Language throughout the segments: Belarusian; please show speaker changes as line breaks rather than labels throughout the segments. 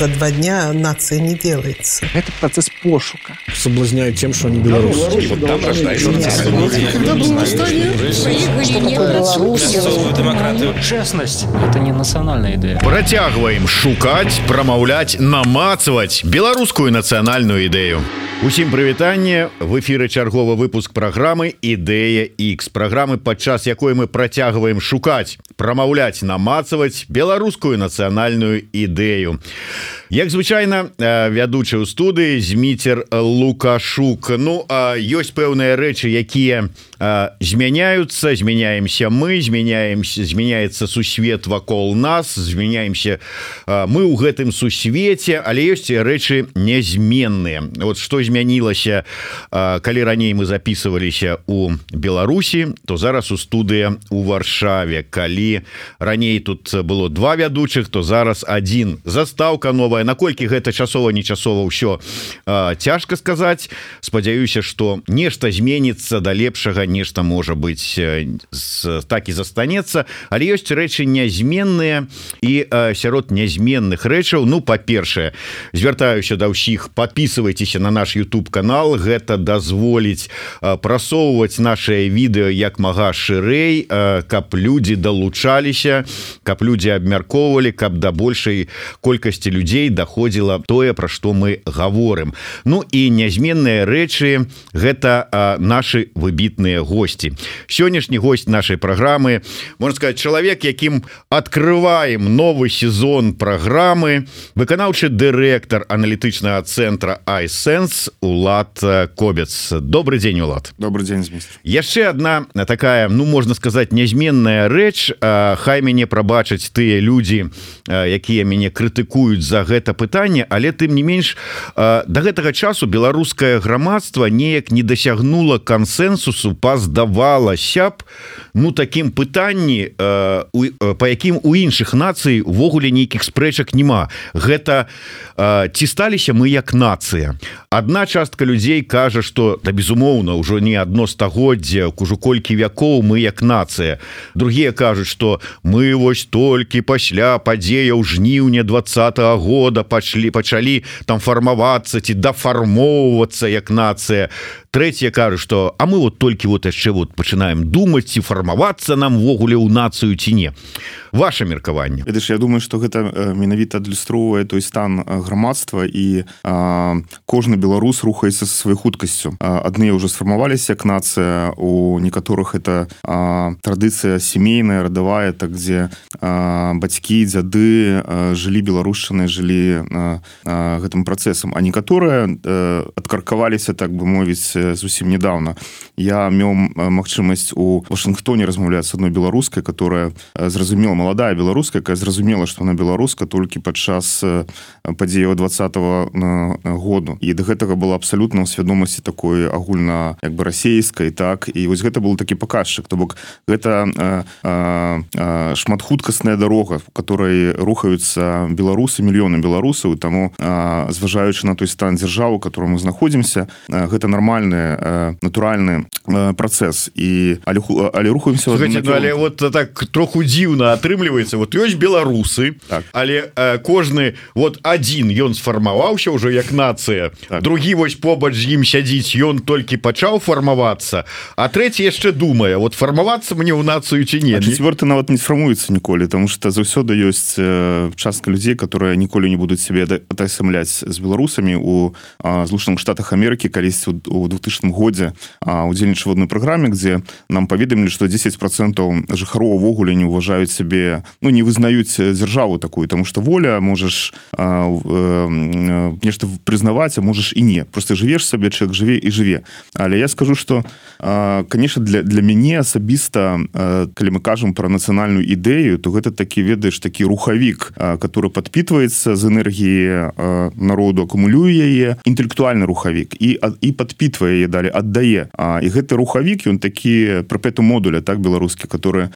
за 2 дня нация не делается.
Это процесс пошука.
Соблазняют тем, что они белорусы.
Вот там рождаются демократию.
Честность – это не национальная идея.
Працягваем шукаць, прамаўляць, намацваць беларускую нацыянальную ідэю. Усім прывітанне, в эфіры чарговы выпуск праграмы «Ідэя X», праграмы, падчас якой мы працягваем шукаць, прамаўляць, намацваць беларускую нацыянальную ідэю. Як звычайна, вядучы ў студыі Зміцер Лукашук. Ну, ёсць пэўныя рэчы, якія змяняюцца, змяняемся мы, змяняецца сусвет вакол нас, змяняемся мы ў гэтым сусвеце, але ёсць рэчы нязменныя. Вот што змянілася, калі раней мы записываліся у Беларусі, то зараз у студыя у Варшаве. Калі раней тут было 2 вядучых, то зараз 1. Застаўка новая. Наколькі гэта часова-нечасова ўсё цяжка сказаць. Спадзяюся, што нешта зменіцца да лепшага, нешта можа быць так і застанецца, але ёсць рэчы нязменныя, і сярод нязменных рэчаў, ну, па-першае, звяртаюся да ўсіх, падпісывайцеся на наш YouTube канал, гэта дазволіць прасоўваць нашае відэо як мага шырэй, каб людзі далучаліся, каб людзі абмяркоўвалі, каб да большай колькасці людзей даходзіла тое, пра што мы гаворым. Ну і нязменныя рэчы – гэта нашы выбітныя госці. Сённяшні гость нашай праграмы, можна сказаць, чалавек, якім адкрываем новы сезон праграмы, выканаўчы дырэктар аналітычнага цэнтра iSense Улад Кобец. Добрый дзень, Улад.
Добрый дзень, Зміцер.
Яшчэ одна такая, ну, можна сказаць, нязменная рэч. Хай мяне прабачаць тыя людзі, якія мяне крытыкуюць за гэта пытанне, але тым не менш да гэтага часу беларускае грамадства неяк не дасягнула кансэнсусу па, здавалася б, ну, такім пытанні, па якім у іншых нацый увогуле нейкіх спрэчак няма. Гэта ці сталіся мы як нацыя. Адна частка людзей кажа, што, да, безумоўна, ўжо не адно стагоддзе, ужо колькі вякоў мы як нацыя. Другія кажуць, што мы вось толькі пасля падзеяў жніўня 20-го года пачалі там фармавацца ці дафармоўвацца як нацыя. Трэція кажа, што а мы вот толькі вот яшчэ вот пачынаем думаць, ці фармавацца нам ввогуле ў нацыю ці не. Ваше меркаванне.
Ведаеш, я думаю, што гэта менавіта адлюстроўвае той стан грамадства, і кожны беларус рухаецца са сваёй хуткасцю. Адныя ўжо сфармаваліся як нацыя, у некаторых это традыцыя сямейная, радавая, так, дзе бацькі, дзяды жылі беларушчынай, жылі гэтым працэсам, а некаторыя адкаркаваліся, так бы мовіць, зусім недавно. Я меў магчымасць у Вашынгтоне размаўляць з адной беларускай, которая зразумела, маладая беларуска, якая зразумела, што она беларуска толькі падчас падзеяў 20-го году. І да гэтага была абсалютна ў свядомасці такой агульна, як бы, расейскай, так, і вось гэта был такі паказчык. То бок гэта шматхуткасная дарога, в которой рухаюцца беларусы, мільёны беларусаў, таму, зважаючы на той стан дзяржавы, у котором мы знаходзімся, гэта нармальны, натуральны працэс. Але рухаемся...
Слухайте, ну, але вот так троху дзіўна атрымліваецца. Вот ёсць беларусы, так, але кожны вот адзін, ён сфармаваўся ўжо як нацыя, так, другі вось побач з ім сядзіць, ён толькі пачаў фармавацца, а трэці яшчэ думае, вот фармавацца мне ў нацыю ці не.
А чацвёрты нават не сфармуецца ніколі, таму што заўсёды ёсць частка людзей, которые ніколі не будуць сябе атасамляць з беларусамі. У Злучаных Штатах Амерыкі калісьці у 2000 годзе удзельнічаў в адной праграме, дзе нам паведамілі, што 10% жыхароў увогуле не ўважаюць сябе, ну, не вызнаюць дзяржаву такую, таму што воля, можаш нешта прызнаваць, а можаш і не. Просто жывеш сабе, чалавек жыве і жыве. Але я скажу, што, конечно, для мяне асабіста, калі мы кажам пра нацыянальную ідэю, то гэта такі, ведаеш, такі рухавік, который падпітваецца з энергіі народу, акумулюе яе, інтэлектуальны рухавік, і падпітвае яе далі, аддае. І гэты рухавік, ён такі перпетум модуля, так, беларускі, который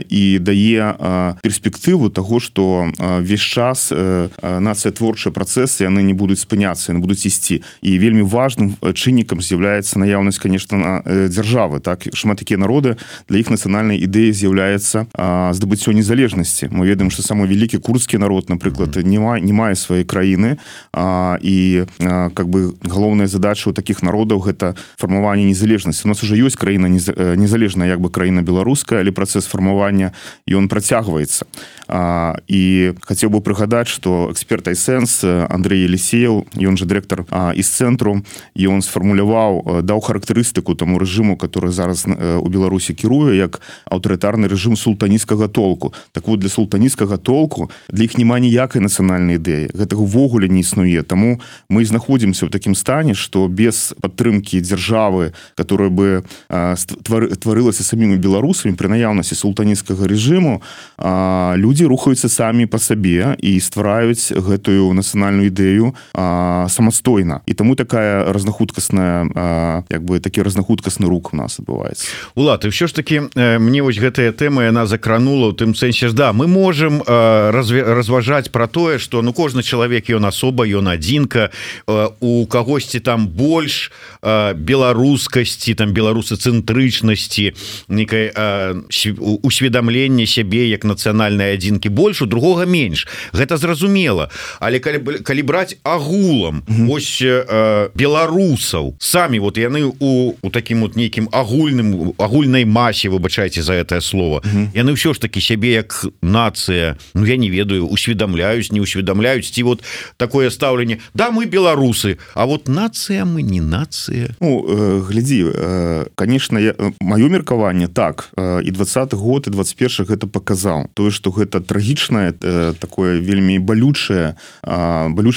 і дае перспектыву таго, што весь час нацыя творчыя працэсы, яны не будуць спыняцца, яны будуць ісці. І вельмі важным чыннікам з'яўляецца наяўнасць, конечно, дзяржавы, так, шмат такія народы, для іх нацыянальнай ідэі з'яўляецца здабыццё незалежнасці. Мы ведаем, што самы вялікі курдскі народ, напрыклад не мае сваёй краіны, і как бы галоўная задача у таких народаў гэта фармаванне незалежнасці. У нас уже ёсць краіна незалежная, як бы краіна беларуская, але працэс фармавання ён працягваецца. І хацеў бы прыгадаць, што эксперт iSense Андрей Елисеев, ён же дырэктар из цэнтру, і ён сфармуляваў, даў характарыстыку таму рэжыму, который зараз у Беларусі кіруе, як аўтарытарны рэжым султанісцкага толку. Так вот, для султанісцкага толку для іх няма ніякай нацыянальнай ідэі. Гэтага ўвогуле не існуе. Таму мы знаходзімся ў такім стане, што без падтрымкі дзяржавы, которая бы тварылася самімі беларусамі пры наяўнасці султанісцкага рэжыму, людзі рухаюцца самі па сабе і ствараюць гэтую нацыянальную ідэю самастойна. І таму такая разнахуткасная, як бы такі разнахуткасны рух у нас адбываецца.
Улад, і ўсё ж таки мне вось гэтая тэма яна закранула ў тым сэнсе, да, мы можем разважаць про тое, что ну кожны чалавек ён асоба, ён адзінка, у кагосьці там больш беларускасці, там беларусацэнтрычнасці, некай усведамленне сябе як нацыянальнай адзінкі больш, у другога менш. Гэта зразумела. Але калі браць агулам ось беларусаў самі, вот яны у такім вот нейкім агульнай масе, выбачайце за гэтае слово, яны ўсё ж таки сябе як нацыя, ну я не ведаю, усведамляюць, не усведамляюць, ці вот такое стаўленне, да, мы беларусы, а вот нацыя мы не нацыя.
Ну, глядзі, конечно, маё меркаванне так, і 20-й год, і 21-й гэта паказаў. Тое, што гэта трагічнае, такое вельмі балючы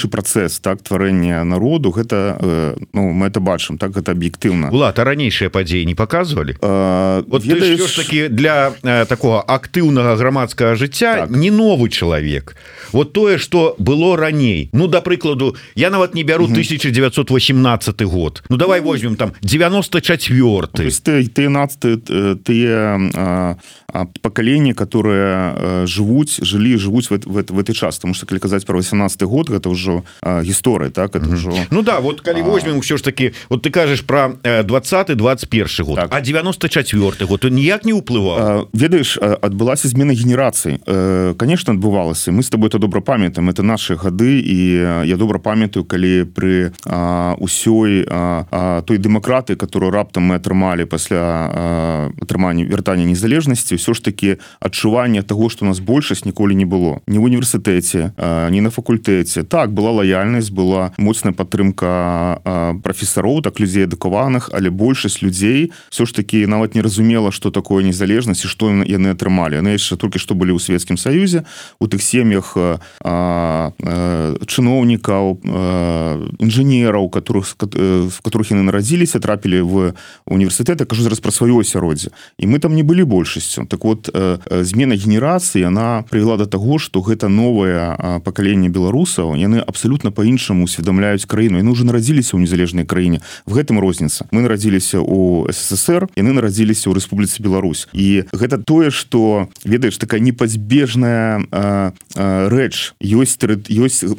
працэс, так, тварэння народу, гэта, ну, мы это бачым, так, гэта аб'ектыўна.
Улад, а ранейшыя падзеі не паказвалі? Вот ты ж таки для такого актыўнага грамадскага жыцця так. Не новы чалавек. Вот тое, што было раней. Ну, да прыкладу, я нават не бяру 1918 год. Ну, давай возьмем там 94-й.
То есть тыя пакаленні, которые живуць в этой час. Потому что, калі казаць про 18 год, гэта ўжо гісторыя, так? Это ўжо...
Ну да, вот калі возьмем ўсё ж таки, вот ты кажаш про 20-21 год, так. А 94 год, он ніяк не ўплываў?
Ведаеш, адбылася змена генерацый. Конечно, адбывалася. Мы с тобой это добра памятаем. Это наши гады, і я добра памятаю, калі пры усёй той дэмакратыі, которую раптам мы атрымалі пасля атрымання вяртання незалежнасці, ўсё ж таки адчуванне того, што у нас большасць ніколі не было. Ні в універсітэце, ні на факультэце. Так, была лаяльнасць, была моцная падтрымка прафесароў, так, людзей адукаваных, але большасць людзей ўсё ж таки нават не разумела, што такое незалежнасць і што яны атрымалі. Яны яшчэ толькі што былі ў Савецкім Саюзе, у тых сем'ях чыноўнікаў, інжынераў, в которых яны нарадзіліся, трапілі в універсітэт, я кажу зараз пра сваё асяроддзе. І мы там не былі большасцю. Так вот, змена генерацыі, она прывяла да таго, што гэта новае пакаленне беларусаў, яны абсалютна па-іншаму усведамляюць краіну. Яны ўжо нарадзіліся ў незалежнай краіне. В гэтым розніца. Мы нарадзіліся ў СССР, яны нарадзіліся ў Рэспубліцы Беларусь. І гэта тое, што, ведаеш, такая непазбежная рэч. Ёсць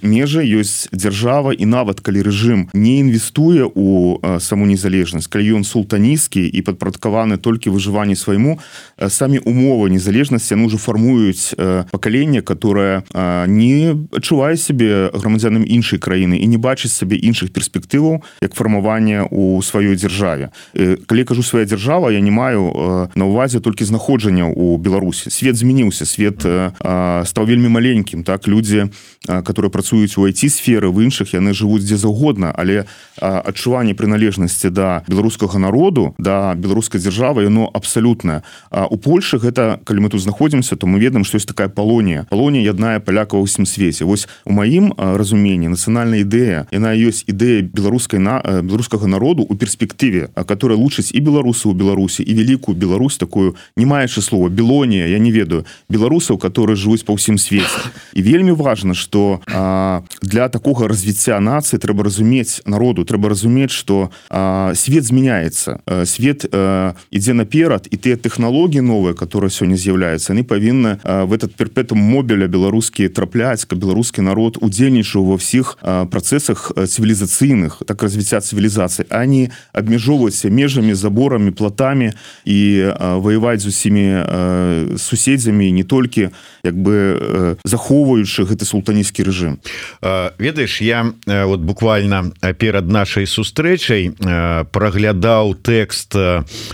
межы, ёсць дзяржава, і нават калі рэжым не інвестуе ў саму незалежнасць, калі ён султанісцкі і падпарадкаваны толькі выжыванню свайму, самі умовы незалежнасці яны ўжо фармуюць пакаленне, которое не адчувае сябе грамадзянам іншай краіны і не бачыць сабе іншых перспектываў як фармаванне ў сваёй дзяржаве. Калі кажу свая дзяржава, я не маю на ўвазе толькі знаходжання ў Беларусі. Свет змяніўся, свет стаў вельмі маленькім, так, людзі, которые працуюць у IT-сферы, в іншых, яны жывуць дзе заўгодна, але адчуванне прыналежнасці да беларускага народу, да беларускай дзяржавы, яно абсалютнае. У Польшы гэта, калі мы тут знаходзімся, то мы ведаем, што ёсць такая Палонія. Палонія яднае палякаў ва ўсім свеце. Вось у маім разуменні нацыянальная ідэя, яна ёсць ідэя беларускага народу ў перспектыве, которая лучыць і беларусаў у Беларусі, і великую Беларусь, такую, не маючы слова, Белонія, я не ведаю, беларусаў, которые жывуць па ўсім свеце. І вельмі важна, што для такога развіцця нацыі трэба разумець народу, трэба разумець, што свет змяняецца, свет ідзе наперад, і тыя тэхналогіі новыя, новае, которое сёння з'яўляецца, яны павінны в этот перпетум мобіля беларускі трапляць, каб беларускі народ удзельнічаў ва ўсіх працэсах цывілізацыйных, так развіцця цывілізацыі, а не абмяжоўвацца межамі, заборамі, платамі і ваяваць з усімі суседзямі, не толькі як бы захоўваючы гэты султанісцкі рэжым.
Ведаеш, я вот буквально перад нашай сустрэчай праглядаў тэкст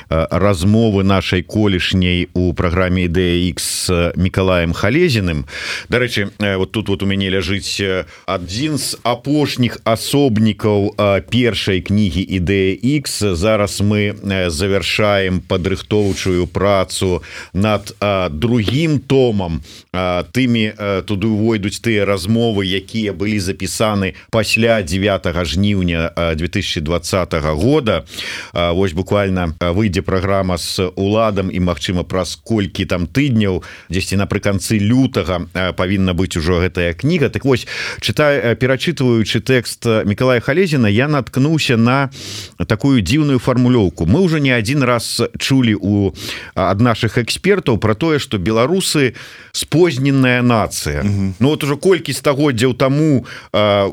размовы нашай колішняй у праграме «Ідэя Х» з Мікалаем Халезіным. Дарэчы, вот тут вот у мяне ляжыць адзін з апошніх асобнікаў першай кнігі «Ідэя Х». Зараз мы завяршаем падрыхтоўчую працу над другім томам. Тымі туды увойдуць тыя размовы, якія былі запісаны пасля 9 жніўня 2020 года. Вось буквально выйдзе праграма з уладам і, магчыма, праз колькі там тыдняў, дзесьці напрыканцы лютага павінна быць ужо гэтая кніга. Так вось, перачытваючы тэкст Мікалая Халезіна, я наткнуўся на такую дзіўную фармулёўку. Мы ўжо не адзін раз чулі ад нашых экспертаў про тое, што беларусы спозненная нацыя. Ну вот уже колькі стагоддзяў таму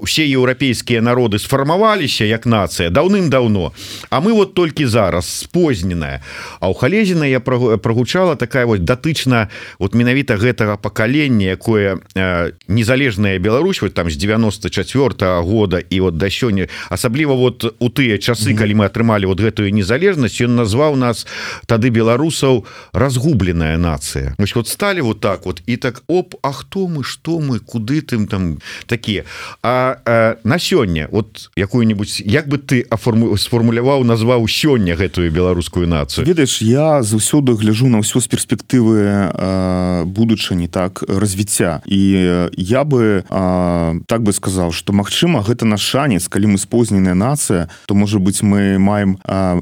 усе еўрапейскія народы сфармаваліся як нацыя даўным-даўно, а мы вот толькі зараз спозненая. А ў Халезіна я прагучала такая вот датычна вот менавіта гэтага пакалення, якое незалежная Беларусь вот там з 94-го года і вот да сёння, асабліва вот у тыя часы, калі мы атрымалі вот гэтую незалежнасць, ён назваў нас тады беларусаў разгубленая нацыя. Вот сталі вот так вот і так оп, а хто мы, што мы, куды тым там такія. А на сёння вот якую-нибудь, як бы ты сфармуляваў, назваў сёння гэтую беларускую нацыю?
Ведаеш, я заўсёды гляжу на ўсё з перспектывы будучыні, так, развіцця. І я бы так бы сказаў, што магчыма гэта наш шанец, калі мы спозненая нацыя, то можа быць мы маем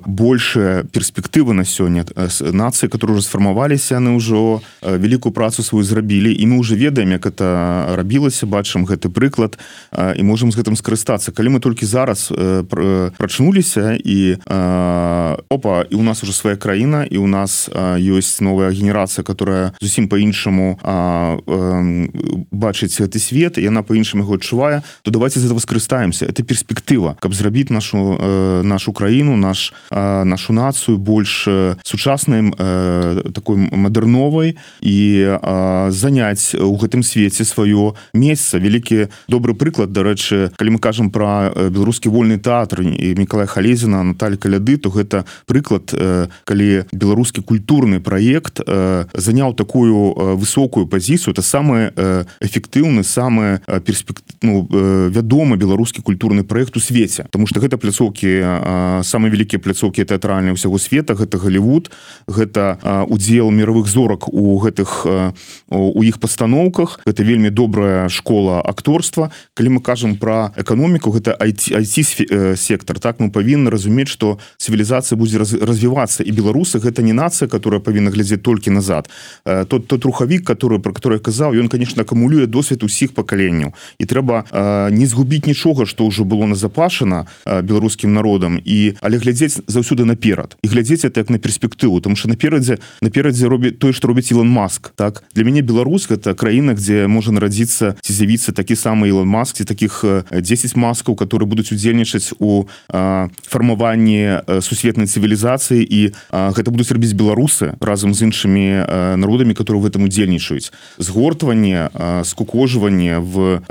большыя перспектывы на сёння. Нацыі, которые уже сфармаваліся, яны ўжо вялікую працу сваю зрабілі, і мы уже ведаем, як это рабілася, бачым гэты прыклад і можам з гэтым скарыстацца. Калі мы толькі зараз прачнуліся і опа, і у нас уже свая краіна, і у нас ёсць новая генерацыя, которая зусім по-іншаму бачыць гэты свет, і яна по-іншаму яго адчувае, то давайте з этого скарыстаемся. Это перспектыва, каб зрабіць нашу краіну, нашу нацыю больш сучаснай, такой мадэрновай і заняць у гэтым свеце сваё месца. Вялікі добры прыклад, дарэчы, калі мы кажам пра беларускі вольны тэатр і Мікалая Халезіна, Наталі Каляды, то гэта прыклад, калі беларускі культурны праект заняў такую высокую пазіцыю. Это самы эфектыўны, самы вядомы беларускі культурны праект у свеце, потому что гэта пляцоўкі, самыя вялікія пляцоўкі тэатральныя ўсяго света, гэта Голливуд, гэта удзел мировых зорак у іх пастаноўках, гэта вельмі добрая школа акторства. Калі мы кажам пра эканоміку, гэта IT-сектор, так, мы павінны разумець, што цывілізацыя будзе развівацца, і беларусы гэта не нацыя, которая павінна глядзець толькі назад. Тот рухавік, про который я казаў, ён, конечно, акумулюе досвед усіх пакаленняў, і трэба не згубіць нічога, што ўжо было назапашана беларускім народам, але глядзець заўсёды наперад, і глядзець это як на перспектыву, тому что наперадзе робіць тое, што робіць Ілон Маск. Так? Для мяне Беларусь гэта краіна, дзе можа нарадзіцца ці з'явіцца такі самы Ілон Маск, ці такіх 10 маскаў, которые будуць удзельнічаць у фармаванні сусветнай цывілізацыі, і гэта будуць рабіць беларусы разам з іншымі народамі, которые в этом удзельнічаюць. Згортванне, скукожванне в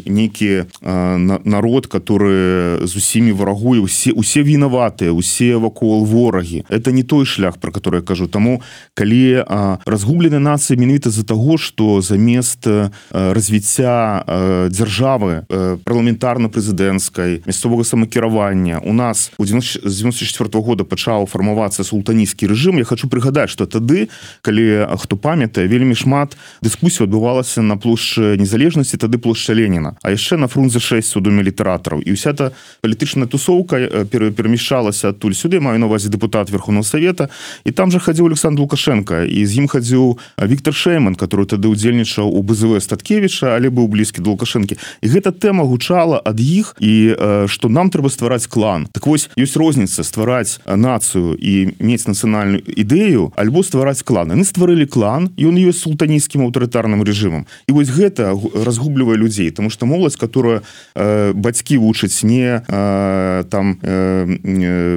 нейкі народ, который з усімі варагуе, усе вінаватыя, усе вакол ворагі. Это не той шлях, про который я кажу. Таму, калі разгубленая нацыя менавіта з-за таго, што замест развіцця дзяржавы парламентарна-прэзідэнцкай, мясцовага самакіравання у нас з 94-го года пачаў фармавацца султанісцкі рэжым. Я хочу прыгадаць, што тады, калі хто памятае, вельмі шмат дыскусій адбывалася на плошчы Незалежнасці, тады плошча Леніна, а яшчэ на Фрунзе 6 у доме літаратараў. І ўся та палітычная тусоўка перамяшчалася адтуль сюды, маю на увазе дэпутат Верховного Совета, і там жа хадзіў Александр Лукашенко, і з ім хадзіў Віктор Шейман, который тады удзельнічаў у БЗВ Статкевіча, але быў блізкі да Лукашэнкі. І гэта тэма гучала ад іх, і што нам трэба ствараць клан. Так вось, ёсць розніца ствараць нацыю і мець нацыянальную ідэю, альбо ствараць клан. Яны стварылі клан, і ён ёсць султанійскім аўтарытарным рэжымам. І вось гэта разгублівае людзей, тому што моладзь, которая бацькі вучаць не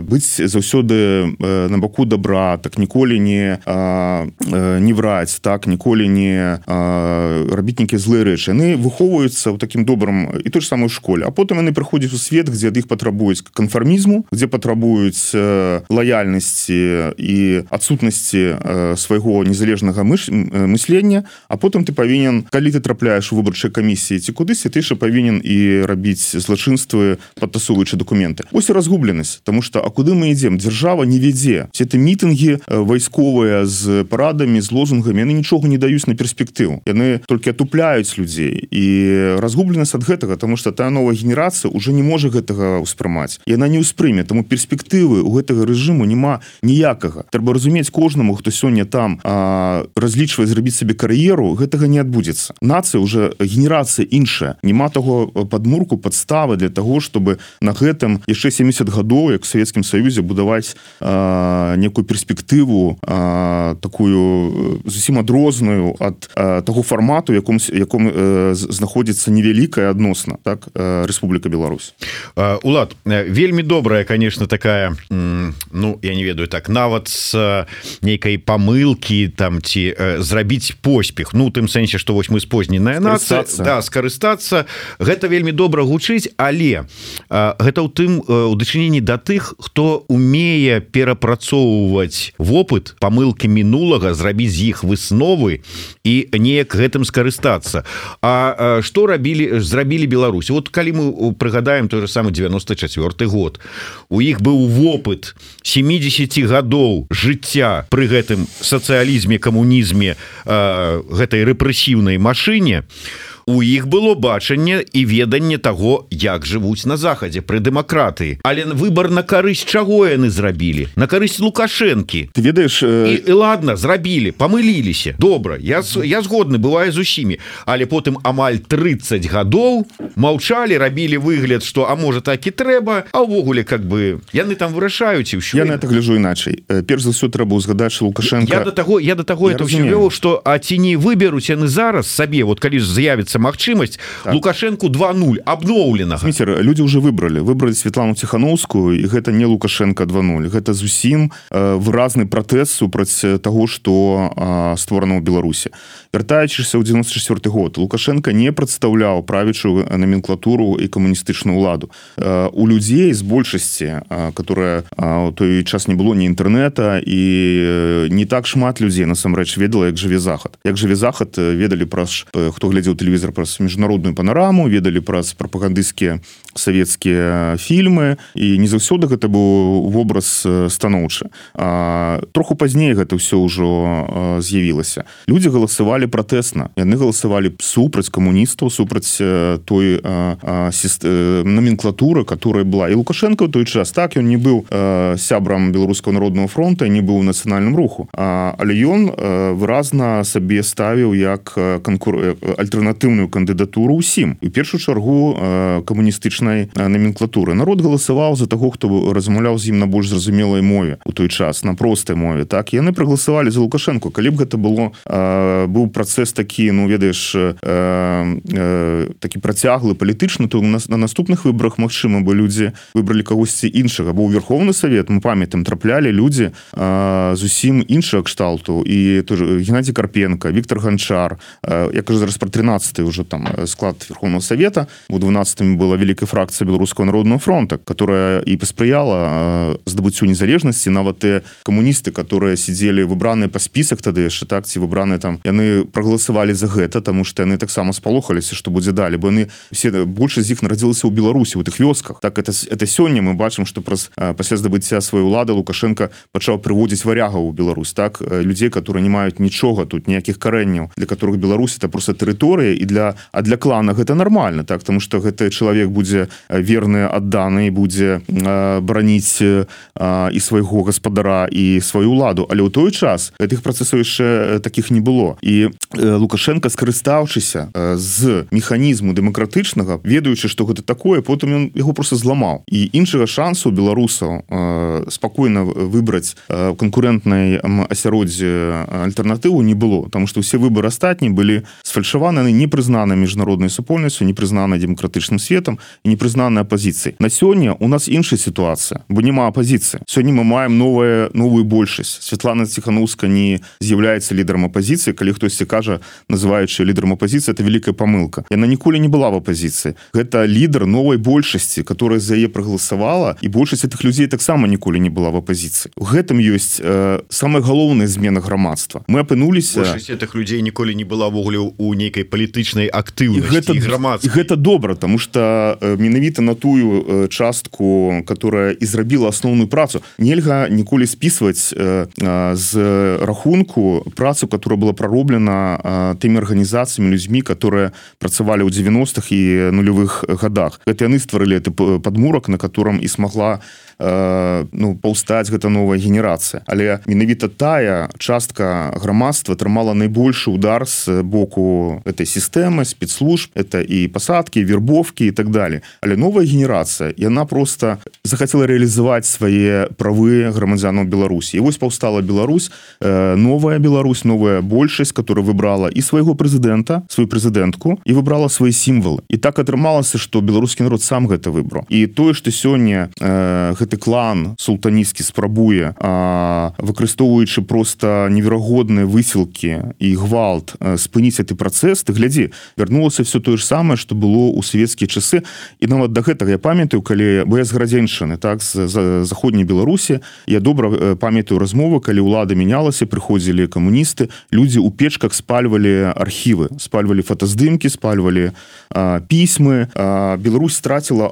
быць заўсёды на баку добра, так ніколі не враць, так ніколі не рабіць нейкія злыя рэчы. Яны выхоўваюцца ў такім добрым і той ж самой школе, а потым яны прыходзяць у свет, дзе ад іх патрабуюць канфармізму, дзе патрабуюць лаяльнасці і адсутнасці свайго незалежнага мыслення, а потым ты павінен, калі ты трапляеш у выбарчай камісіі ці кудысьці, ты ж павінен і рабіць злачынствы, падтасоўваючы дакументы. Ось і разгубленасць, тому што а куды мы ідзем? Дзяржава не вядзе. Все эти мітынгі вайсковыя з парадамі, з лозунгамі, яны нічога не даюць на перспектыву. Яны толькі атупляюць людзей. І разгубленасць ад гэтага, тому што тая новая генерацыя уже не можа гэтага ўспрымаць. Яна не ўспрыме, таму перспектывы ў гэтага рэжыму няма ніякага. Трэба разумець кожнаму, хто сёння там разлічвае зрабіць сабе кар'еру, гэтага не адбудзецца. Нацыя уже генерацыя іншая. Няма таго падмурку, падставы для таго, чтобы на гэтым яшчэ 70 гадоў, як у Савецкім Саюзе, будаваць некую перспектыву такую зусім адрозную ад таго фармату, яком знаходзіцца невялікая адносна, так, Рэспубліка Беларусь.
Улад, вельмі добрая, конечно, такая, ну, я не ведаю, так, нават з нейкай памылкі там ці зрабіць поспех, ну, тым сэнсе, што вось мы спозненая нацыя, да, скарыстацца, гэта вельмі добра гучыць, але гэта ў тым у дачыненні да тых, хто умее перапрацоўваць вопыт, памылкі мінулага, зрабіць з іх высновы і неяк гэтым скарыстацца. А што зрабілі Беларусь? Вот калі мы прыгадаем той же самы 94 год, у іх быў вопыт 70 гадоў жыцця пры гэтым сацыялізме, камунізме, гэтай рэпрэсіўнай машыне, у іх было бачанне і веданне таго, як жывуць на захадзе пры дэмакратыі. Але выбар на карысць чаго яны зрабілі? На карысць Лукашэнкі.
Ты ведаеш...
І ладно, зрабілі, памыліліся. Добра, я згодны, бывае з усімі. Але потым амаль 30 гадоў маўчалі, рабілі выгляд, што а можа так і трэба, а ўвогуле как бы яны там вырашаюць і ўсё.
Я на это гляджу іначай. Перш за ўсё трэба ўзгадаць, што Лукашенко...
Я да таго это ўсё вёў, што а ці не выберуць яны зараз сабе, вот калі з'явіцца магчымасць, так. Лукашенко 2.0 абноўленага.
Сміцер, людзі ўжо выбралі Святлану Ціхановскую, і гэта не Лукашенко 2.0, гэта зусім выразны пратэст супраць таго, што створана ў Беларусі. Вяртаючыся ў 94 год, Лукашенко не прадстаўляў правячую номенклатуру і камуністычную ўладу. У людзей з большасці, которая у той час не было ні інтэрнэта, і не так шмат людзей насамрэч ведала, як жыве Захад. Як жыве Захад, ведалі праз, хто глядзеў тэлевізор, праз міжнародную панораму, ведалі праз прапагандысцкія савецкія фільмы, і не заўсёды гэта быў вобраз станоўчы. Троху пазней гэта ўсё ўжо з'явілася. Людзі галасавалі пратэсна. Яны галасавалі супраць камуністаў, супраць той номенклатуры, которая была. І Лукашенко ў той час, так, ён не быў сябрам Беларускага народнага фронта, не быў у нацыянальным руху, але ён выразна сабе ставіў як альтэрнатыўную кандыдатуру ўсім. І ў першую чаргу камуністычнай номенклатуры. Народ галасаваў за таго, хто размаўляў з ім на больш зразумелай мове у той час, на простай мове. Так, яны прагаласавалі за Лукашенко. Калі б гэта было, быў працэс такі, ну, ведаеш, такі працяглы палітычны, то на наступных выбарах, магчыма, бы людзі выбралі кагосьці іншага. Бо ў Верховны Савет, мы памятаем, траплялі людзі зусім іншага кшталту. І Геннадзій Карпенко, Віктор Ганчар, я кажу зараз про 13-й уже там склад Верховного Совета. У 12-м была великая фракция Белорусского народного фронта, которая и посприяла здобыццю незалежности. Нават те коммунисты, которые сидели выбранные по список тогда яшчэ, так, ці выбранные там, яны проголосовали за гэта, потому что яны таксама спалохаліся, что будзе далі, бо яны все, больше з іх нарадзілася ў Беларусі, у тых вёсках. Так, это сёння мы бачым, што пасля здабыцця сваёй улады Лукашенко пачаў прыводзіць варягаў у Беларусь, так, людзей, которые не маюць нічога тут, ніякіх карэнняў, для которых Беларусь это просто тэрыторыя, і для клана гэта нормально, так, потому что гэты чалавек будзе верны, адданы, будзе браніць і свайго гаспадара і сваю ўладу, але ў той час гэтых працэсаў яшчэ таких не было, і Лукашенко, скарыстаўшыся з механізму дэмакратычнага, ведаючы, што гэта такое, потым ён яго просто зламаў, і іншага шансу беларусаў спакойна выбраць канкурэнтнай асяроддзе альтэрнатыву не было, потому что ўсе выборы астатнія былі сфальшаваны, не прызнаны міжнароднай супольнасцю, не прызнаны дэмакратычным светам і не прызнаны апазіцыяй. На сёння у нас іншая сітуацыя, бо няма апазіцыі. Сёння мы маем новую большасць. Святлана Ціханаўская не з'яўляецца лідарам апазіцыі, калі хтосьці кажа, называючы лідарам апазіцыі, это вялікая памылка. Яна ніколі не была в апазіцыі. Гэта лідар новай большасці, которая за яе прагаласавала, і большасць гэтых людзей таксама ніколі не была в апазіцыі. У гэтым ёсць самая галоўная змена грамадства. Мы апынуліся...
Большасць гэтых людзей ніколі не была ввогуле у нейкай палітычнай актыўнасці і грамадскай.
Гэта добра, тому што менавіта на тую частку, которая і зрабіла асноўную працу, нельга ніколі спісваць з рахунку працу, которая была прароблена тымі арганізацыямі, людзьмі, которые працавалі ў 90-х і нулевых годах. Гэта яны стварылі гэты падмурак, на котором і смогла паўстаць гэта новая генерацыя. Але менавіта тая частка грамадства атрымала найбольшы удар з боку этой сістэмы, спецслужб, это і пасадкі, вербовкі і так далее. Але новая генерацыя, яна просто захацела рэалізаваць свае правы грамадзянаў Беларусі. І вось паўстала Беларусь, новая Беларусь, новая большасць, которая выбрала і свайго прэзідэнта, сваю прэзідэнтку, і выбрала свае сімвалы. І так атрымалася, што беларускі народ сам гэта выбраў. І тое, што сёння гэты клан султанісцкі спрабуе, выкарыстоўваючы просто неверагодныя высілкі і гвалт, спыніць гэты працэс, ты глядзі, вярнулася все тое ж самае, што было ў савецкія часы. І нават да гэтага я памятаю, калі бо я з Гарадзеншчыны, так, з заходняй Беларусі, я добра памятаю размовы, калі ўлада мянялася, прыходзілі камуністы, людзі ў печках спальвалі архівы, спальвалі фотаздымкі, спальвалі пісьмы. Беларусь страціла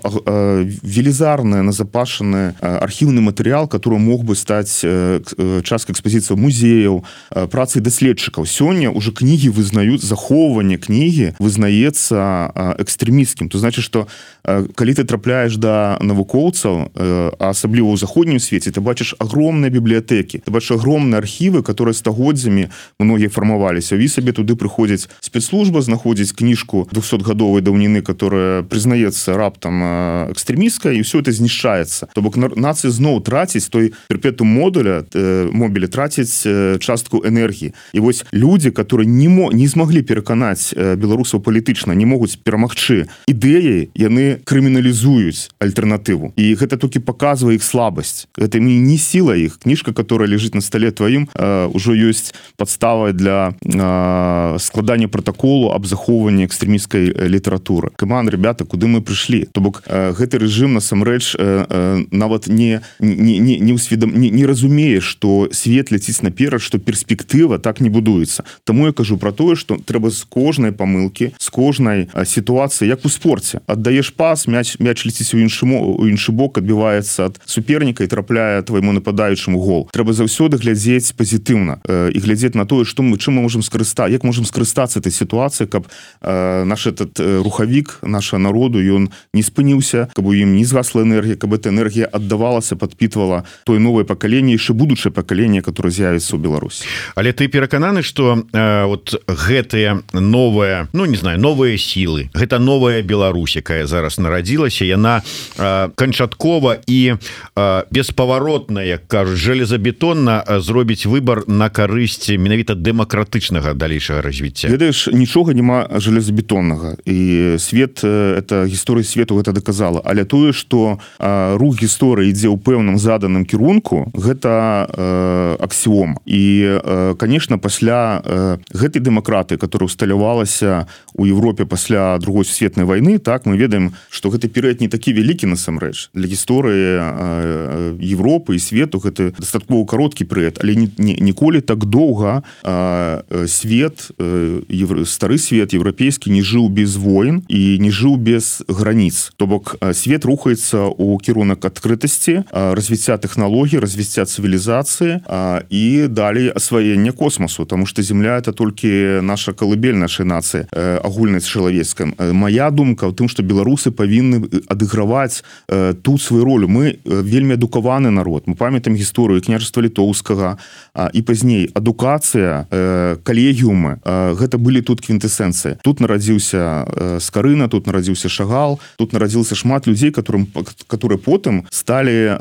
велізарнае назапашанае архіўны матэрыял, который мог бы стаць часткай экспазіцыі музеяў, працы даследчыкаў. Сёння уже кнігі вызнаюць, захоўванне кнігі вызнаецца экстрэмісцкім. То значит, што калі ты трапляеш да навукоўцаў, асабліва ў заходнім свеце, ты бачыш агромныя бібліятэкі, ты бачыш агромныя архівы, которые стагоддзямі многія фармаваліся. І сабе туды прыходзіць спецслужба, знаходзіць кніжку 200-гадовай даўніны, которая прызнаецца раптам экстрэмісцкай, і ўсё это знішчаецца. То бок нацыя зноў траціць той перпетум мобілі, траціць частку энергіі. І вось людзі, которые не змаглі пераканаць беларусаў палітычна, не могуць перамагчы ідэяй, яны крыміналізуюць альтэрнатыву. І гэта толькі паказвае іх слабасць. Гэта не сіла іх. Кніжка, которая ляжыць на стале тваім, ужо ёсць падставай для складання протаколу аб захоўванні экстрэмісцкай літаратуры. Каман, ребята, куды мы прыйшлі? То бок гэты рэжым насамрэч нават не разумее, што свет ляціць наперад, што перспектыва так не будуецца. Таму я кажу про тое, што трэба з кожнай памылкі, з кожнай сітуацыі, як у спорце. Аддаеш пас, мяч ляціць у іншы бок, адбіваецца ад суперніка і трапляе твайму нападаючаму гол. Трэба заўсёды глядзець пазітыўна і глядзець на тое, чым мы можам скарыстацца, як можам скарыстацца этой сітуацыі, каб наш этот рухавік наша народу, ён не спыніўся, каб у ім не згасла энергія, каб эта энергія аддавалася, падпітвала тое новае пакаленне, яшчэ будучае пакаленне, которое з'явіцца ў Беларусі.
Але ты перакананы, што вот гэтыя новыя, новыя сілы, гэта новая Беларусь, якая зараз нарадзілася, яна канчаткова і беспаваротна, як кажуць, жалезабетонна зробіць выбар на карысць менавіта дэмакратычнага далейшага развіцця.
Ведаеш, нічога няма жалезабетоннага, і свет, это гісторыя свету гэта даказала, але тое, што рух гісторыі ідзе ў пэўным заданым кірунку, гэта аксіома. І, конечно, пасля гэтай дэмакратыі, которая усталявалася у Европе пасля другой сусветнай вайны, так, мы ведаем, што гэты перыяд не такі вялікі насамрэч. Для гісторыі Европы і свету гэта дастаткова кароткі перыяд, але ніколі так доўга свет, стары свет еўрапейскі не жыў без войн і не жыў без граніц. То бок свет рухаецца ў кірунак адкрытасці, развіцця тэхналогій, развіцця цывілізацыі і далей асваення космосу, таму што Земля — это толькі наша калыбель нашай нацыі. інфармацыі агульначалавецкай. Моя думка ў тым, што беларусы павінны адыграваць тут сваю ролю. Мы вельмі адукаваны народ. Мы памятаем гісторыю княжества літоўскага і пазней адукацыя, калегіумы, гэта былі тут квінтэсэнцыі. Тут нарадзіўся Скарына, тут нарадзіўся Шагал, тут нарадзілася шмат людзей, которые потым сталі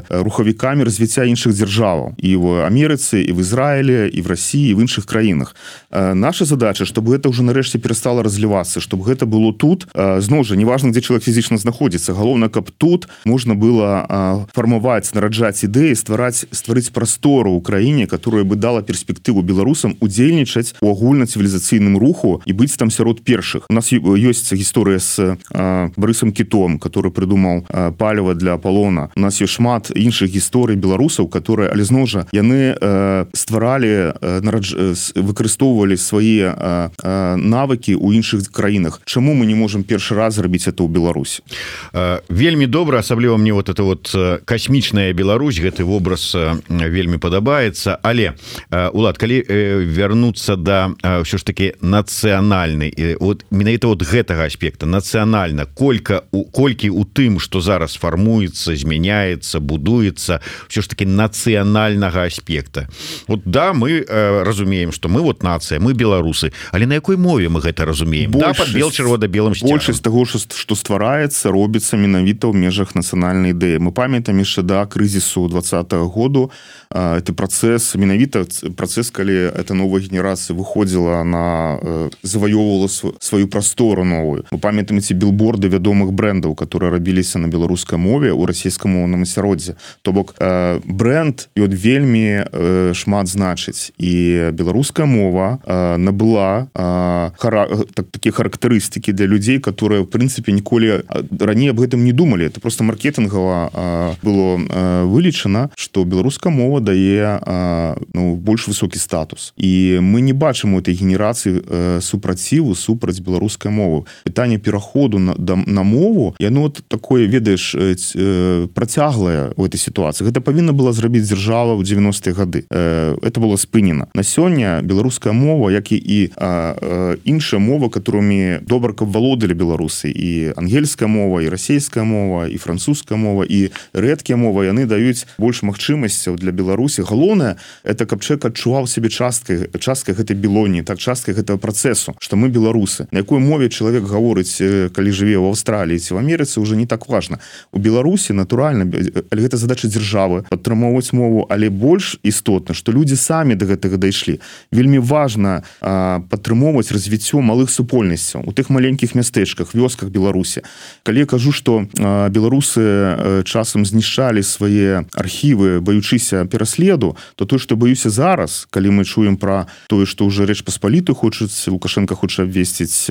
рухавікамі развіцця іншых дзяржаваў і в Амерыцы, і в Ізраілі, і в России, і в іншых краінах. Наша задача, чтобы гэта ўжо нарэшце перестало разлівацца, чтобы гэта было тут. Зноў жа, неважна, дзе чалавек фізічна знаходзіцца, галоўна, каб тут можна было фармаваць, нараджаць ідэі, стварыць прастору ў краіне, которая бы дала перспектыву беларусам удзельнічаць у агульнацывілізацыйным руху і быць там сярод першых. У нас ёсць гісторыя з Барысам Кітом, который придумал паліва для Аполлона. У нас ёсць шмат іншых гісторый беларусаў, которые, але зноў жа, яны стваралі, выкарыстоўвалі свае навыкі ў іншых краінах. Чаму мы не можем першы раз зрабіць это ў Беларусі?
Вельмі добра, асабліва мне вот это вот касмічная Беларусь, гэты вобраз вельмі падабаецца, але Улад, калі вярнуцца да ўсё ж таки нацыянальнай, вот менавіта вот гэтага аспекта, нацыянальна, колькі у тым, што зараз фармуецца, змяняецца, будуецца, ўсё ж таки нацыянальнага аспекта. Вот да, мы разумеем, што мы вот нацыя, мы беларусы, але на якой мове мы гэта разумеем? Да, под бел-чырвона-белым сцягам.
Большасць таго, што ствараецца, робіцца менавіта ў межах нацыянальнай ідэі. Мы памятаем яшчэ да крызісу 20-го году, это працэс, менавіта працэс, калі эта новая генерацыя выходзіла на заваёўвала сваю прастору новую. Мы памятаем эти билборды вядомых брэндаў, которые рабіліся на беларускай мове ў расійскамоўным асяроддзі. То бок бренд ён вельмі шмат значыць, і беларуская мова набыла такія характарыстыкі для людзей, которые в прынцыпе ніколі раней об гэтым не думалі. Это просто маркетынгава было вылічана, што беларуская мова дае больш высокі статус, і мы не бачым у этой генерацыі супраціву супраць беларускай мовы. Пытанне пераходу на мову, яно такое, ведаеш, працяглае ў этой сітуацыі. Гэта павінна была зрабіць дзяржава ў 90-е гады. Это было спынена. На сёння беларуская мова, як і іншая мова, которымі добра каб валодалі беларусы, і ангельская мова, і расійская мова, і французская мова, і рэдкія мовы, яны даюць больш магчымасцяў для Беларусі. Галоўнае, это каб чалавек адчуваў сябе часткай гэтай белоніі, так часткай гэтага працэсу, што мы беларусы. На якой мове чалавек гаворыць, калі жыве ў Аўстраліі ці в Амерыцы, уже не так важна. У Беларусі, натуральна, але гэта задача дзяржавы падтрымоўваць мову, але больш істотна, што людзі самі да гэтага дайшлі. Вельмі важна падтрымоўваць развіццё малых супольнасцяў у тых маленькіх мястэчках, вёсках Беларусі. Калі я кажу, што беларусы часам знішчалі свае архівы, баючыся пераследу, то тое, што баюся зараз, калі мы чуем пра тое, што ўжо Рэч Паспалітую хочуць, Лукашенко хоча абвесціць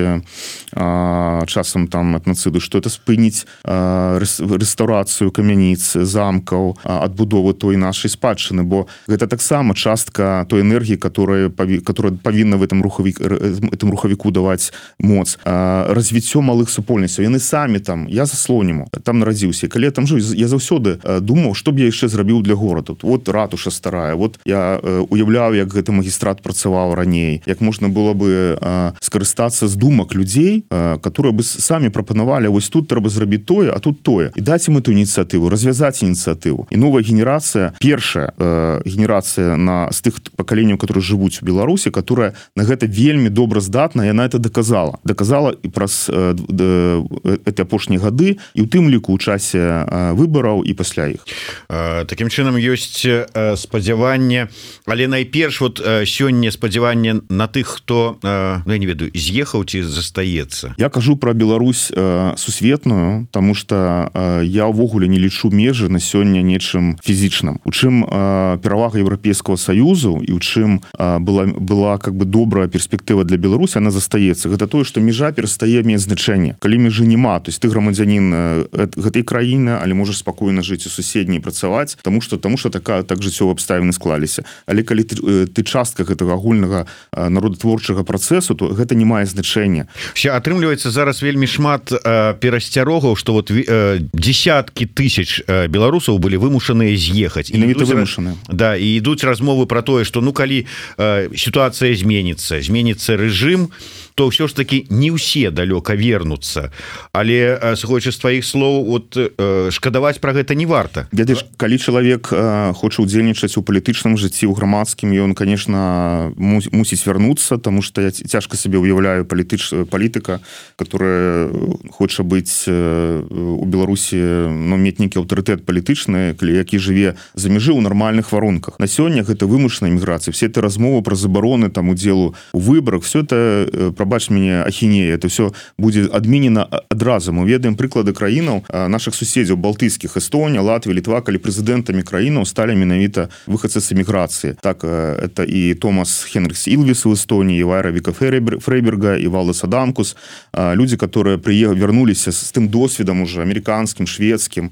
часам там этнацыду, што это спыніць рэстаўрацыю камяніц, замкаў, адбудовы той нашай спадчыны, бо гэта таксама частка той энергіі, которая павінна в этом рухавіку даваць моц. Развіццё малых супольнасцяў. Яны самі там, я за Слоніму, там нарадзіўся. Калі я там жыў, я заўсёды думаў, што б я яшчэ зрабіў для горада. Вот ратуша старая, вот я уяўляў, як гэты магістрат працаваў раней, як можна было бы скарыстацца з думак людзей, которые бы самі прапанавалі, вось тут трэба зрабіць тое, а тут тое. І даць ім эту ініцыятыву, развязаць ініцыятыву. І новая генерацыя, першая генерацыя з тых пакаленняў, которые жывуць у Беларусі, которая на гэта вельмі добра здатна, яна это доказала. Доказала і праз эти апошнія гады, і ў тым ліку ў часе выбараў і пасля іх.
Такім чынам ёсць спадзяванне, але найперш вот сёння спадзяванне на тых, хто, я не ведаю, з'ехаў ці застаецца.
Я кажу пра Беларусь сусветную, тому что я ўвогуле не лічу межы на сёння нечым фізічным. У чым перавага Еўрапейскага Саюзу і ў чым была как бы добрая перспектыва для Беларусі, она застаецца. Гэта тое, што межа перастае мець значэнне. Калі межы няма, то есть ты грамадзянін гэтай краіны, але можаш спакойна жыць у суседняй і працаваць, тому что так жыццёвыя абставіны склаліся. Але калі ты частка гэтага агульнага народатворчага працэсу, то гэта не мае значэння.
Атрымліваецца зараз вельмі шмат перасцярогаў, што вот десяткі тысяч беларусаў былі вымушаныя з'ехаць.
Менавіта вымушаныя.
Да, і ідуць размовы пра тое, што ну калі сітуацыя зменіцца рэжым, то ўсё ж таки не ўсе далёка вернуцца, але сыходзячы з тваіх слоў, вот шкадаваць пра гэта не варта.
Ведаеш, калі чалавек хоча ўдзельнічаць у палітычным жыцці, у грамадскім, ён, конечно, мусіць вярнуцца, тому что я цяжка сабе уяўляю палітыка, которая хоча быць у Беларусі, ну, мець нейкі аўтарытэт палітычны, які жыве за мяжы ў нармальных варунках. На сёння гэта вымушаная міграцыя. Все это размовы пра забароны там удзелу у выбарах, все это, прабач мяне, ахінея, это все будзе адменена адразу. Мы ведаем прыклады краінаў наших суседзяў балтыйскіх, Эстонія, Латвія, Літва, калі прэзідэнтамі краінаў сталі менавіта выхадцы з эміграцыі. Так, это і Томас Хенрикс Илвис в Эстонии, и Вайра Вика Фрейберга, и Валдес Адамкус, люди, которые вернулись с тем досведом уже американским, шведским,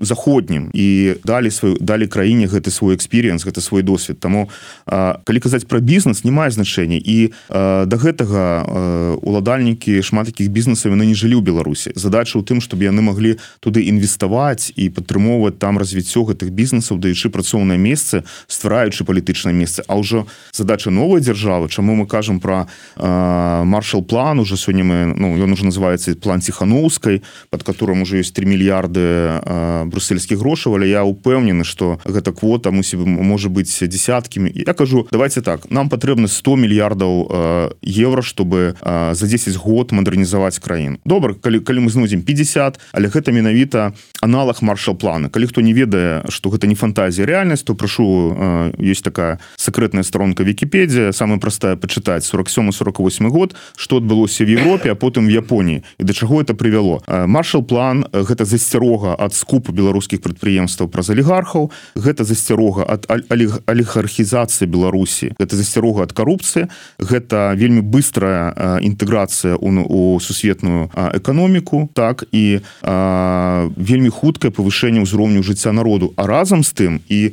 заходнім, и дали краіне гэты свой экспириенс, гэты свой досвед. Таму, калі казаць про бізнес, не мае значэння. І до гэтага уладальнікі шмат таких бізнесаў яны не жылі ў Беларусі. Задача ў тым, чтобы яны могли туды інвеставаць і падтрымоўваць там развіццё гэтых бізнесаў, даючы працоўнае месцы, ствараючы палітычнае месца. А ўжо задача новой дзяржавы, чаму мы кажам про Маршал-план, уже сёння мы, ну, ён уже называется план Ціхановскай, под которым уже есть 3 мільярды брусельскіх грошаў, але я упэўнены, что гэта квота можа быць десяткамі. Я кажу, давайте так, нам патрэбна 100 мільярдаў евро, чтобы за 10 год мадэрнізаваць краіну. Добра, калі мы знойдзем 50, але гэта менавіта аналог Маршал-плана. Калі хто не ведае, что гэта не фантазія, реальнасць, то прашу, есть такая секретная сторонка Википедия, самая простая почитать, 47-48 год, что адбылося в Европе, а потым в Японии, и до чаго это привяло. Маршал-план – гэта засцярога ад скупу беларускіх прадпрыемстваў праз алігархаў, гэта засцярога ад алігархізацыі Беларусі, гэта засцярога ад карупцыі, гэта вельмі быстрая інтэграцыя у сусветную эканоміку, так, і вельмі хуткае павышэнне ўзроўню жыцця народу. А разам з тым і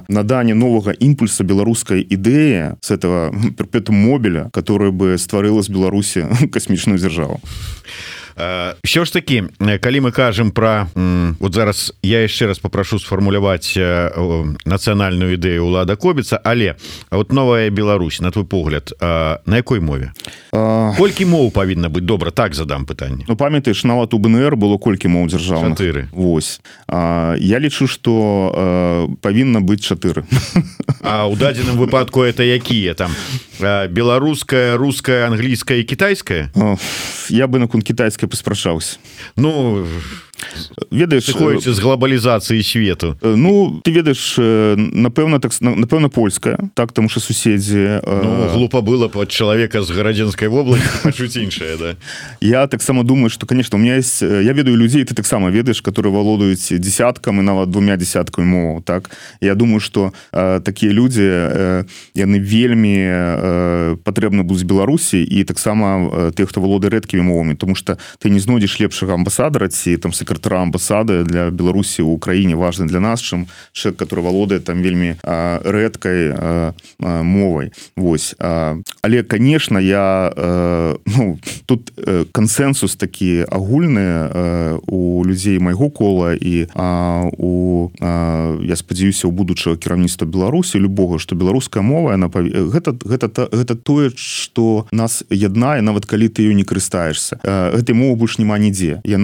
наданне новага імпульса беларускай ідэі с этого перпетум мобиля, которая бы стварыла з Беларусі касмічную дзяржаву.
Все ж таки, калі мы кажам про, вот зараз я яшчэ раз попрошу сфармуляваць нацыянальную ідэю Улада Кобіца, але вот новая Беларусь, на твой погляд, на якой мове? Колькі моў павінна быць? Добра, так задам пытанне.
Ну, памятаеш, нават у БНР было колькі моў дзяржаўных?
4.
Вось. Я лічу, што павінна быць 4.
А ў дадзеным выпадку это якія там? Беларуская, руская, англійская і кітайская?
Я бы наконт кітайскай паспрачаўся.
Ну,
ведаеш,
сыходзіць з глобалізацыі свету.
Ну, ты ведаеш, напэўна, польская, так, тому что суседзі...
Ну, глупо было под чалавека з гарадзенскай вобласці пачуць іншае, да?
Я таксама думаю, что, конечно, у меня есть... Я ведаю людзей, ты таксама ведаеш, которые валодаюць десяткам і нават 2 десяткамі моваў, так? Я думаю, что такія людзі, яны вельмі патрэбны будуць Беларусі, і таксама тых, хто валодае рэдкімі мовамі, тому что ты не знойдзеш лепшага амбасадара ці там сакратара амбасады для Беларусі ў Украіне важны для нас, чым чалавек, который валодае там вельмі рэдкай мовай. Вось. Але, конечно, я ну, тут кансенсус такі агульны у людзей майго кола і я спадзяюся, у будучага кіраўніцтва Беларусі любога, што беларуская мова, гэта тое, што нас яднае, нават калі ты ёй не карыстаешься. Гэтай мовы больш няма нідзе. Яе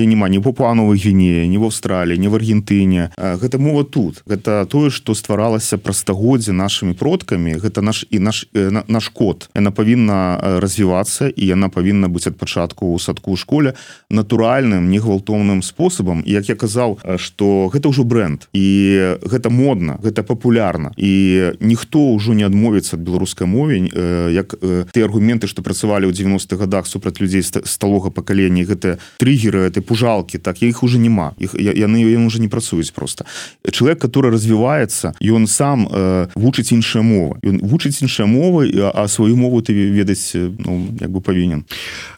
няма ні в Папуа-Новай Гвінеі, ні в Аўстраліі, ні в Аргентыне. Гэта мова тут. Гэта тое, што стваралася праз стагоддзі нашымі продкамі. Гэта наш код. Яна павінна развівацца, і яна павінна быць ад пачатку ў садку ў школе натуральным, негвалтоўным спосабам. І як я казаў, што гэта ўжо бренд. І гэта модна, гэта папулярна. І ніхто ўжо не адмовіцца ад беларускай мовы, як тыя аргументы, што працавалі ў 90-х годах супраць людзей сталога пакалення, гэта триггеры, это пужалки, так, их уже нема. Яны уже не працуюць просто. Чалавек, который развіваецца, ён сам вучыць іншыя мовы. Ён вучыць іншыя мовы, а сваю мову ты ведаць, ну, як бы павінен.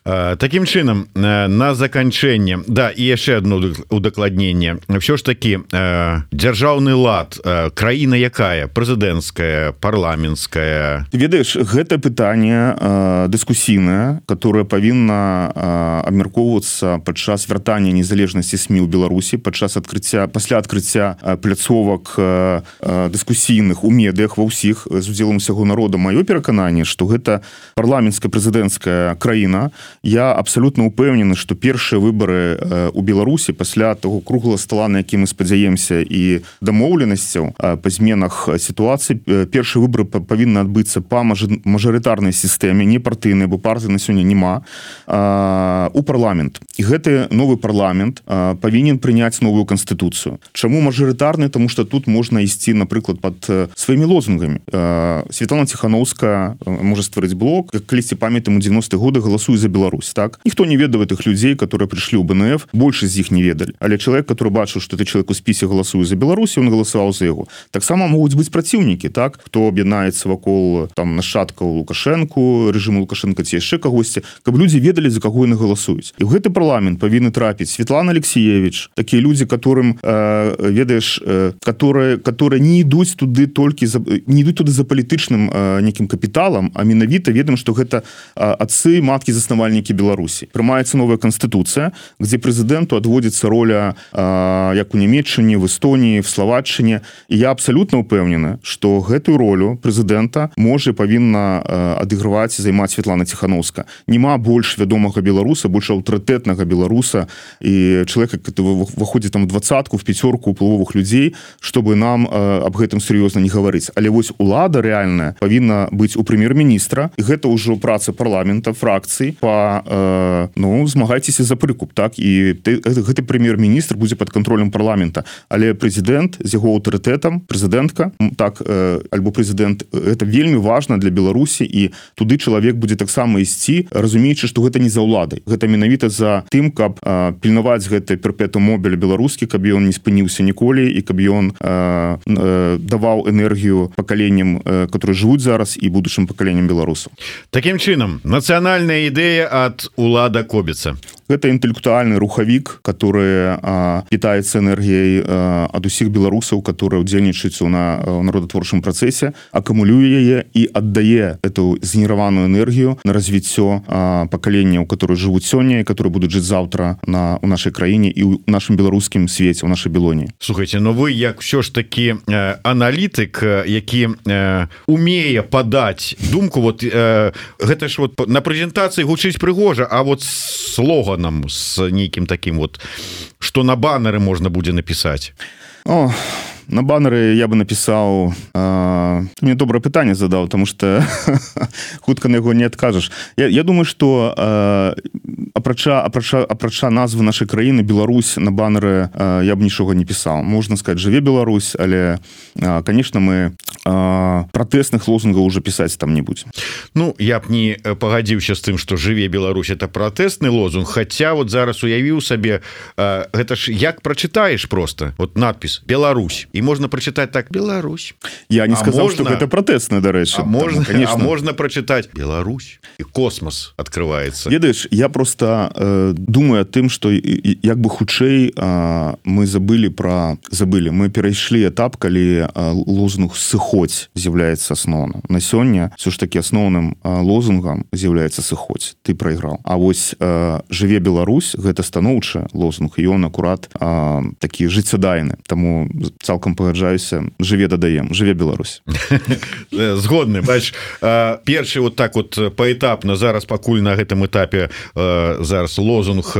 Такім чынам, на заканчэнне, да, і яшчэ одно удакладненне. Всё ж таки, дзяржаўны лад, краіна якая? Прэзідэнцкая, парламенцкая?
Ты ведаеш, гэта пытанне дыскусійнае, которое павінна абмяркоўвацца падчас вяртання незалежнасці СМІ ў Беларусі пасля адкрыцця пляцовак дыскусійных у медыях ва ўсіх з удзелам усяго народа. Маё перакананне, што гэта парламенцкая прэзідэнцкая краіна. Я абсалютна ўпэўнены, што першыя выбары у Беларусі пасля того круглага стола, на які мы спадзяемся, і дамоўленасцяў па зменах сітуацыі, першыя выбары павінны адбыцца па мажарытарнай сістэме, не партыйнай, бо партыі на сёння няма, у парламент. І гэты новы парламент павінен прыняць новую канстытуцыю. Чаму мажарытарны? Таму што тут можна ісці, напрыклад, пад сваімі лозунгамі. Светлана Ціханаўская можа стварыць блок, як калісьці памятаем, у 90-х годах галасуе за Беларусь, так? Ніхто не ведае тых людзей, которые прыйшлі ў БНФ, большасць з іх не ведалі. Але чалавек, который бачыў, што ты чалавек у спісе галасуе за Беларусь, ён галасаваў за яго. Таксама могуць быць праціўнікі, так? Хто аб'яднаецца вакол там нашчадкаў Лукашэнку, рэжыму Лукашэнка ці яшчэ кагосьці, каб людзі ведалі, за каго яны галасуюць. І ў гэты парламент павінны трапіць Светлана Алексеевич, такія людзі, которым ведаеш, которые не ідуць туды толькі не ідуць туды за палітычным некім капіталам, а менавіта ведаем, што гэта адцы, маткі, заснавальнікі Беларусі. Прымаецца новая канстытуцыя, где прэзідэнту адводзіцца роля як у Нямецчыне, в Эстоніі, в Словаччыне. І я абсалютна ўпэўнены, што гэтую ролю прэзідэнта можа павінна адыгрываць і займаць Светлана Ціханаўская. Нема больш вядомага беларуса, больш аўтарытэтнага беларуса і чалавека, который выходзіць там в 20-ку, в 5-ку уплывовых людзей, чтобы нам аб гэтым сур'ёзна не гаварыць. Але вось улада рэальная павінна быць у прэм'ер-міністра, і гэта ўжо праца парламента, фракцыі змагайцеся за прыкуп, так? І гэты прэм'ер-міністр будзе пад кантролем парламента. Але прэзідэнт з яго аўтарытэтам, прэзідэнтка, так, альбо прэзідэнт, гэта вельмі важна для Беларусі, і туды чалавек будзе таксама ісці, разумеючы, што гэта не за ўладай. Гэта менавіта за тым, каб пільнаваць гэты перпетум мобіль беларускі, каб ён не спыніўся ніколі, і каб ён даваў энергію пакаленням, которые жывуць зараз, і будучым пакаленням беларусаў.
Такім чынам, нацыянальная ідэя ад Улада Кобіца.
Гэта інтэлектуальны рухавік, который питается энергіяй ад усіх беларусаў, которые удзельнічаюць у народатворчым працэсе, акумулюе яе і аддае эту згенераваную энергію на развіццё пакаленняў, которые жывуць сёння і которые будуць жыць заўтра у нашай краіне і ў нашым беларускім свеце, у нашай Белоні.
Слухайте, но вы як все ж таки аналітык, які умее падаць думку, вот гэта ж вот на прэзентацыі гучыць прыгожа, а вот слоганам с нейкім таким вот, что на баннеры можно будзе написать.
На баннеры я бы написал... Ты мне добрае пытанне задаў, потому что хутка на яго не адкажаш. Я думаю, что апрача назвы нашай краіны Беларусь на баннеры я б нічога не пісаў. Можна сказать, жыве Беларусь, але, конечно, мы пратэсных лозунгаў уже пісаць там не будем.
Ну, я б не пагадзіўся з тым, что жыве Беларусь, это пратэсны лозунг, хотя вот зараз уявіў сабе, гэта ж як прачытаеш просто, вот надпіс «Беларусь», и можно прочитать так «Беларусь».
Я не сказал, что это протестное, до речі.
Можно прочитать «Беларусь», и космос открывается.
Ведаеш, я просто думаю о тым, что як бы хутчэй мы забыли, мы перайшлі этап, калі лозунг «сыходзь» з'яўляецца асноўным. На сёння все ж таки асноўным лозунгам з'яўляецца «сыходзь», ты прайграў. А вось «жыве Беларусь» гэта станоўчы лозунг, і ён акурат такі жыццядайны. Таму цалкам пагаджаюся, жыве дадаем, жыве Беларусь.
Згодны. Бач, першы вот так вот паэтапна, зараз пакуль на гэтым этапе зараз лозунг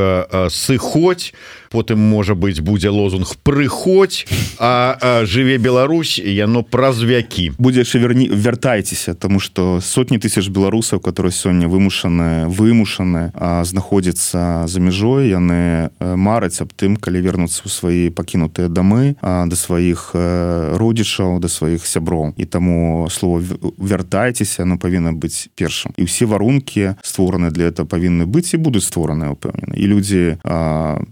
«сыходзь», потым, можа быць, будзе лозунг «прыходзь», а «жыве Беларусь» яно праз вякі.
Будзе яшчэ вяртайцеся, тому што сотні тысяч беларусаў, которые сёння вымушаны знаходзяцца за мяжой, яны мараць аб тым, калі вернуцца ў свае пакінутыя дамы, да сваіх родзічаў, да сваіх сяброў. І таму слово «вяртайцеся» оно павінна быць першым. І ўсе варункі створаны для этого павінны быць і будуць створаныя, упэўнены. І людзі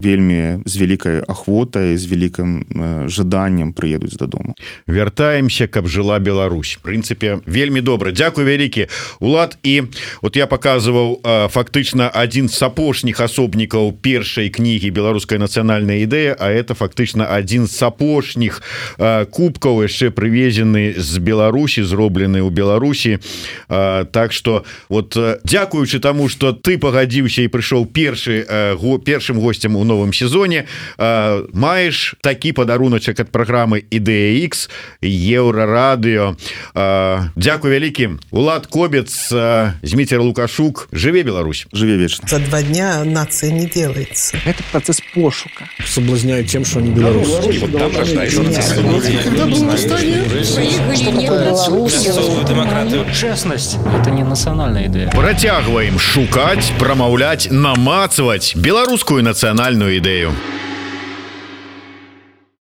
вельмі яны з вялікай ахвотай, з вялікім жаданнем прыедуць дадому.
Вяртаемся, каб жыла Беларусь. В прынцыпе, вельмі добра. Дзякуй вялікі, Улад. І от я паказваў фактычна адзін з апошніх асобнікаў першай кнігі «Беларуская нацыянальная ідэя», а это фактычна адзін з апошніх кубкаў, яшчэ прывезены з Беларусі, зроблены ў Беларусі. Так што, вот, дзякуючы таму, што ты пагадзіўся і прыйшоў першым госцем у новым сезоне, маеш такі падаруначак ад праграмы «Ідэя X», Еўрарадыё. Дзякуй вялікі. Улад Кобец, Зміцер Лукашук. Жыве Беларусь.
Жыве вечна.
За 2 дня нация не делается.
Это процесс пошука.
Соблазняют тем, что они белорусы.
Вот там рождается демократию. Честность – это не национальная идея.
Працягваем шукаць, прамаўляць, намацваць беларускую нацыянальную ідэю.